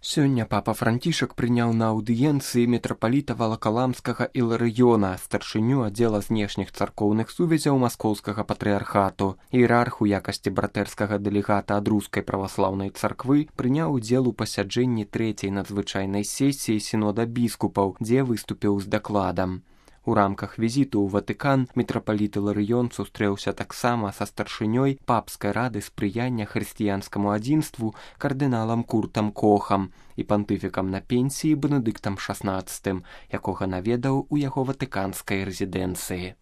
Сёння папа Францішак прыняў на аўдыенцыі мітрапаліта Валакаламскага Іларыёна, старшыню аддзела знешніх царкоўных сувязяў маскоўскага патрыархату. Іерарх у якасці братэрскага дэлегата ад рускай праваслаўнай царквы прыняў удзел у пасяджэнні трэцяй надзвычайнай сесіі сінода біскупаў, дзе выступіў з дакладам. У рамках візіту ў Ватыкан мітрапаліт Іларыён сустрэўся таксама са старшынёй папскай рады спрыяння хрысціянскаму адзінству кардыналам Куртам Кохам і пантыфікам на пенсіі Бенедыктам XVI, якога наведаў у яго ватыканскай рэзідэнцыі.